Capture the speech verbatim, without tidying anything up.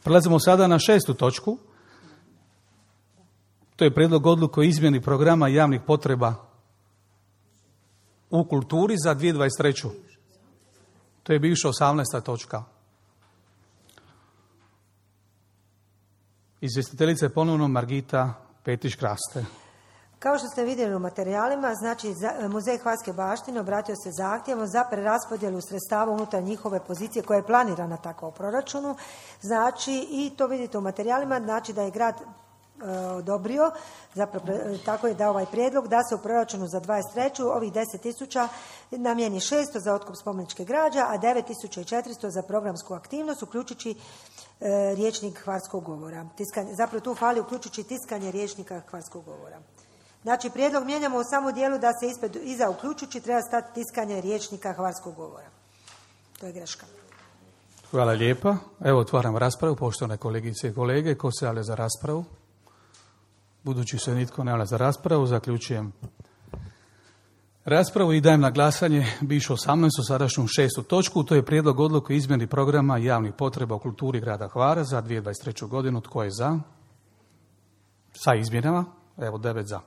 Prelazimo sada na šestu točku. To je prijedlog odluke o izmjeni programa javnih potreba u kulturi za dvije tisuće dvadeset treću. To je bivša osamnaesta točka. Izvjestiteljica je ponovno Margita Petić-Kraste. Kao što ste vidjeli u materijalima, znači Muzej Hvarske baštine obratio se zahtjevom za preraspodjelu sredstava unutar njihove pozicije koja je planirana tako u proračunu. Znači, i to vidite u materijalima, znači da je grad odobrio, zapravo tako je dao ovaj prijedlog da se u proračunu za dvadeset treću ovih deset tisuća namijeni šesto za otkup spomeničke građe, a devet tisuća četiristo za programsku aktivnost, uključujući e, rječnik hvarskog govora. Tiskanje, zapravo tu fali uključujući tiskanje rječnika hvarskog govora. Znači, prijedlog mijenjamo u samo dijelu da se ispred, iza uključujući treba stati tiskanje rječnika hvarskog govora. To je greška. Hvala lijepa. Evo, otvaram raspravu, poštovane kolegice i kolege. Ko se javlja za raspravu? Budući se nitko ne javlja za raspravu, zaključujem raspravu i dajem na glasanje bivšu osamnaestu, sadašnju šestu točku. To je prijedlog odluke o izmjeni programa javnih potreba u kulturi grada Hvara za dvije tisuće dvadeset treću godinu. Tko je za? Sa izmjenama? Evo, devet za.